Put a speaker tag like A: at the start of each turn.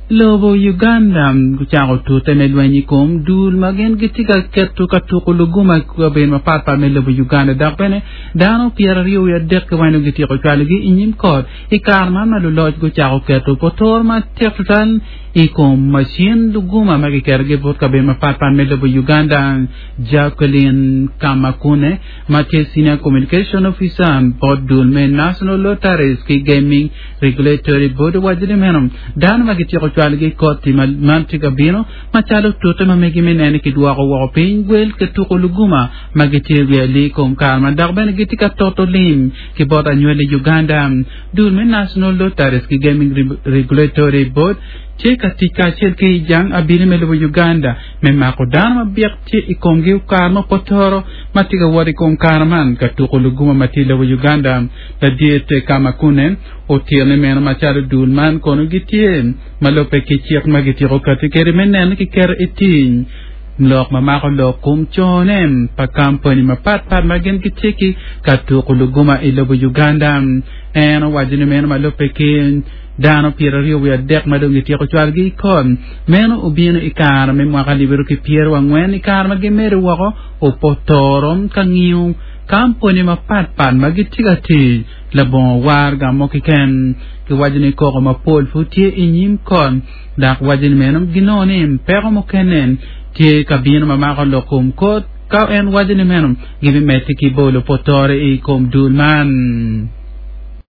A: Lobo Uganda gucako tute me lweny i kom dul ma gin gitye ka keto ka tuko luguma i kabedo mapatpat me lobo Uganda dok bene dano 23 weng gityeko cwalogi i nyim kot i kare man ma luloc gucako keto potoro matek tutwal i kom macin luguma ma giketogi bot kabedo mapatpat me lobo Uganda. Jacqueline Kamakune ma tye Senior Communication Officer bot dul me National Lotteries ki Gaming Regulatory Board owaco ni meno dano ma gityeko cwalogi i kot-ti man tye ka bino macalo tute ma megi me neno ni kidwoko woko piny gwel ki tuko luguma ma gitye i wi alii kom kare man dok bene gitye ka toto lim ki bot anywali Uganda. Dul me National Lotteries ki Gaming Regulatory Board tye ka tic kacel ki jang abili me lobo Uganda me mako dano ma byek tye i komgi kare ma potoro ma tye ka wot i kom kare man ka tuko luguma ma tye i lobo Uganda. Ladit Kamakune otito ni meno macalo dul man kono gitye ma lubbe ki cik ma gityeko kati kwede me neno ni kiketo i tic lok ma mako lok kom cone pa kampani mapat pat ma gin gitye ki ka tuko luguma i lobo Uganda. En owaco ni meno ma lubbe ki dano 23 ma dong gityeko cwalogi i kot meno obino i kare me mwaka alip ki pyerangwen i kare ma gimedo woko opotoro ka ngiyo Kampuni mapatpat ma gitye ka tic labongo waraga mo keken giwaco ni koko mapol pud tye i nyim kot dok waco ni meno ginongo ni peko mukene tye ka bino ma mako lok kom kot ka en waco ni meno gibimedde ki bolo potore i kom dul man.